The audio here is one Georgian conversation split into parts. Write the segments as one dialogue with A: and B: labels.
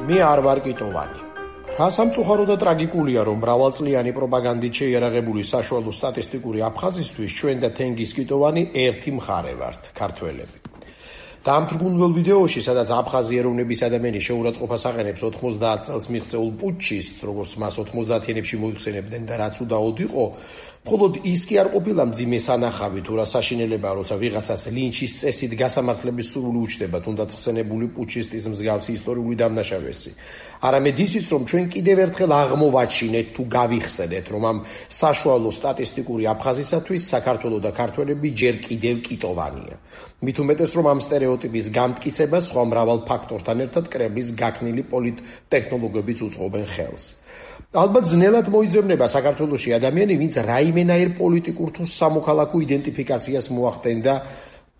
A: მე არ ვარ კიტოვანი. რა სამწუხარო და ტრაგიკულია, რომ მრავალწლიანი პროპაგანდით შეიარაღებული საშუალო სტატისტიკური აფხაზისთვის ჩვენ და თენგიზ კიტოვანი ერთი მხარე ვართ, ქართველები. დაამთრგუნველ ვიდეოში, სადაც აფხაზი ეროვნების ადამიანი შეურაცხყოფას აყენებს 90 წელს მიღწეულ პუტჩის, როგორც მას 90-იანებში მოიხსენებდნენ და რაც უდაოდ იყო, მხოლოდ ის კი არ ყოფილა მძიმე სანახავი თუ რა საშინელებაა, როცა ვიღაცას ლინჩის წესით გასამართლების სურვილი უჩნდება, თუნდაც ხსენებული პუტჩისტის მსგავსი ისტორიული დამნაშავესი. არამედ ისიც, რომ ჩვენ კიდევ ერთხელ აღმოვაჩინეთ თუ გავიხსენეთ, რომ ამ საშუალო სტატისტიკური აფხაზისათვის საქართველო და ქართველები ჯერ კიდევ კიტოვანია. მით უმეტეს, რომ ამ სტერეოტიპის გამტკიცებას სხვა მრავალ ფაქტორთან ერთად კრემლის გაქნილი პოლიტტექნოლოგიებიც უწყობენ ხელს. ალბათ ძნელად მოიძებნება საქართველოში ადამიანი, ვინც რაიმენაირ პოლიტიკურ თუ სამოქალაქო იდენტიფიკაციას მოახდენდა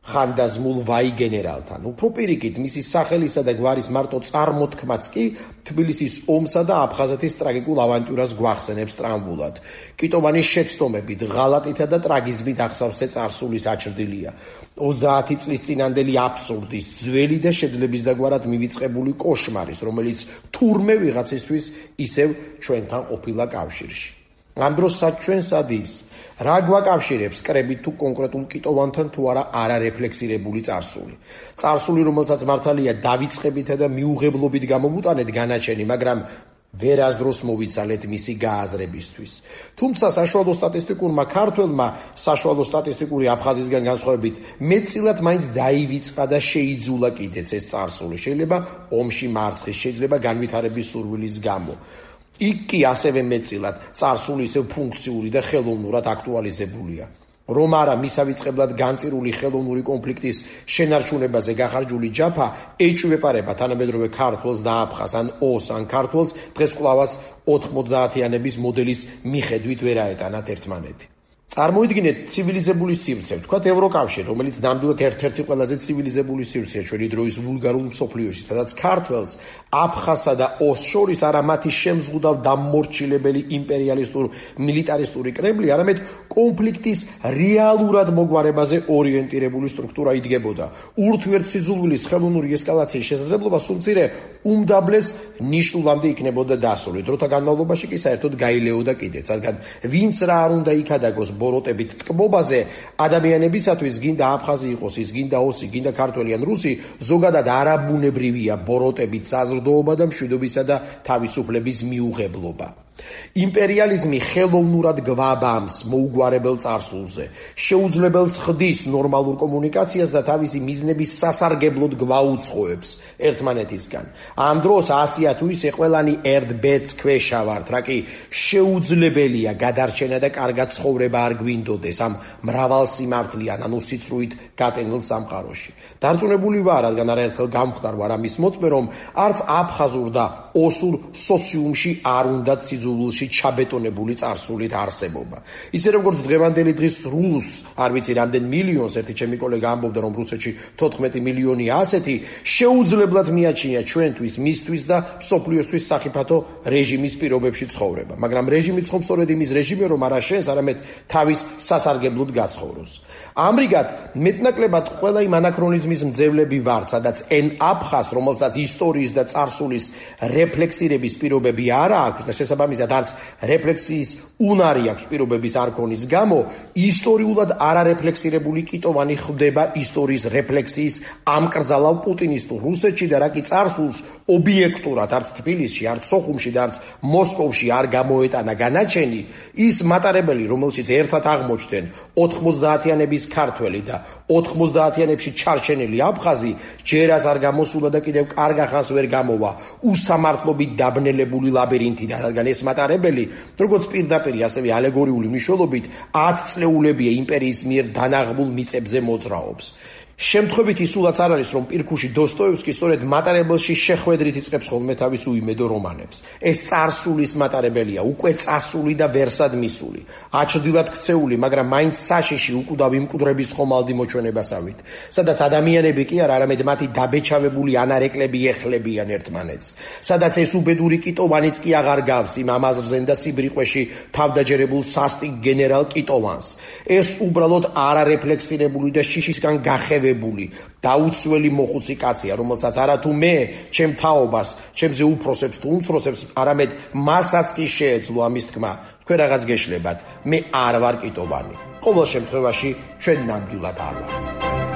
A: ხანდაზმულ ვაი გენერალთან. უფრო პირიქით, მისი სახელისა და გვარის მარტო წარმოთქმაც კი თბილისის ომსა და აფხაზეთის ტრაგიკულ ავანტიურას გვახსენებს ტრამბულად. კიტოვანის შეცდომებით, ღალატითა და ტრაგიზმით აღსავსე წარსულის აჩრდილია. 30 წლის წინანდელი აბსურდის, ძველი და შეძლებისდაგვარად მივიწყებული კოშმარის, რომელიც თურმე ვიღაცისთვის ისევ ჩვენთან ყოფილა კავშირში. ამ დროს ჩვენ სად ის? რა გვაკავშირებს კრებით თუ კონკრეტულ კიტოვანთან თუ არა არარეფლექსირებული წარსული? წარსული, რომელსაც მართალია დავიწყებითა და მიუღებლობით გამოვუტანეთ განაჩენი, მაგრამ ვერასდროს მოვიცალეთ მისი გააზრებისთვის. თუმცა საშუალო სტატისტიკურმა ქართველმა საშუალო სტატისტიკური აფხაზისგან განსხვავებით მეტწილად მაინც დაივიწყა და შეიძულა კიდეც ეს წარსული. შეიძლება ომში მარცხის, შეიძლება განვითარების სურვილის გამო. იქ კი ასევე მეტწილად წარსული ისევ ფუნქციური და ხელოვნურად აქტუალიზებულია. რომ არა მისავიწყებლად განწირული ხელოვნური კონფლიქტის შენარჩუნებაზე გახარჯული ჯაფა ეჭვეპარება თანამედროვე ქართველს და აფხაზს, ან ოს, ან ქართველს დღეს კვლავაც 90-იანების მოდელის მიხედვით ვერ აეტანათ ერთმანეთი. წარმოიდგინეთ ცივილიზებული სივრცე, ვთქვათ ევროკავშირი, რომელიც ნამდვილად ერთ-ერთი ყველაზე ცივილიზებული სივრცეა ჩვენი დროის ვულგარულ მსოფლიოში, სადაც ქართველს, აფხაზსა და ოს შორის არა მათი შემზღუდავ დამმორჩილებელი იმპერიალისტურ მილიტარისტური კრემლი, არამედ კონფლიქტის რეალურად მოგვარებაზე ორიენტირებული სტრუქტურა იდგებოდა. ურთიერთსიძულვილის ხელოვნური ესკალაციის შესაძლებლობა სულ მცირე უმდაბლეს ნიშნულამდე იქნებოდა დასული. დროთა განმავლობაში კი საერთოდ გაილეოდა კიდეც, რადგან ვინც რა არ უნდა იქადაგოს ბოროტებით ტკბობაზე, ადამიანებისათვის გინდა აფხაზი იყოს, ის გინდა ოსი, გინდა ქართველი ან რუსი, ზოგადად არაბუნებრივია ბოროტებით საზრდოობა და მშვიდობისა და თავისუფლების მიუღებლობა. იმპერიალიზმი ხელოვნურად გვაბამს მოუგვარებელ წარსულზე, შეუძლებელს ხდის ნორმალურ კომუნიკაციას და თავისი მიზნების სასარგებლოდ გვაუცხოებს ერთმანეთისგან. ამ დროს ასია თუ ისე ყველანი ერთ ბედს ქვეშა ვართ, რა კი შეუძლებელია გადარჩენა და კარგად ცხოვრება არ გვინდოდეს ამ მრავალ სიმართლიან, ანუ სიცრუით გატენილ სამყაროში. დარწმუნებული ვარ, რადგან არაერთხელ გამხდარ ვარ ამის მოწმე, რომ არც აფხაზურ და ოსურ სოციუმში არ უნდათ სიძულვილში ჩაბეტონებული წარსულით არსებობა. ისე როგორც დღევანდელი დღის რუსს, არ ვიცი რამდენ მილიონს, ერთი ჩემი კოლეგა ამბობდა, რომ რუსეთში 14 მილიონია ასეთი, შეუძლებლად მიაჩნია ჩვენთვის, მისთვის და მსოფლიოსთვის სახიფათო რეჟიმის პირობებში ცხოვრება. მაგრამ რეჟიმი ცხობს სწორედ იმის რეჟიმე, რომ არა შენს, არამედ თავის სასარგებლოდ გაცხოვროს. ამრიგად, მეტნაკლებად ყველა იმ ანაქრონიზმის მძევლები ვართ, სადაც ენ აფხაზს, რომელსაც ისტორიის და წარსულის რეფლექსირების პირობები არ აქვს და შესაბამისად არც რეფლექსიის უნარი აქვს პირობების არ ქონის გამო, ისტორიულად არარეფლექსირებული კიტოვანი ხვდება ისტორიის რეფლექსიის ამკრძალავ პუტინისტურ რუსეთში და რა კი წარსულს ობიექტურად არც თბილისში, არც სოხუმში და არც მოსკოვში არ გამოეტანა განაჩენი, ის მატარებელი, რომელშიც ერთად აღმოჩნდნენ 90-იანების ქართველი და 90-იანებში ჩარჩენილი აფხაზი, ჯერაც არ გამოსულა და კიდევ კარგ ახანს ვერ გამოვა უსამართლობით დაბნელებული ლაბირინთიდან, რადგან ეს მატარებელი, როგორც პირდაპირ, ასევე ალეგორიული მნიშვნელობით 10 წლეულებია იმპერიის მიერ დანაღმულ მიწებზე მოძრაობს. შემთხვევით ისულაც არ არის, რომ პირქუში დოსტოევსკი სწორედ მატარებელში შეხვედრით იწყებს ხოლმე თავის უიმედო რომანებს. ეს წარსულის მატარებელია, უკვე წასული და ვერსად მისული. აჩრდილად ქცეული, მაგრამ მაინც საშიში უკვდავი მკვდრების ხომალდი მოჩვენებასავით, სადაც ადამიანები კი არა, არამედ მათი დაბეჩავებული ანარეკლები ეხლებიან ერთმანეთს. სადაც ეს უბედური კიტოვანიც კი აღარ გავს იმ ამაზრზენ და სიბრიყვეში თავდაჯერებულ სასტიკ გენერალ კიტოვანს. ეს უბრალოდ არარეფლექსირებული და შიშისგან გახევი განათლებული, დაუცველი მოხუცი კაცია, რომელსაც არათუ მე, ჩემ თაობას, ჩემზე უფროსებს თუ უმცროსებს, არამედ მასაც კი შეეძლო ამის თქმა. თქვენ რაღაც გეშლებათ, მე არ ვარ კიტოვანი. ყოველ შემთხვევაში, ჩვენ ნამდვილად არ ვართ.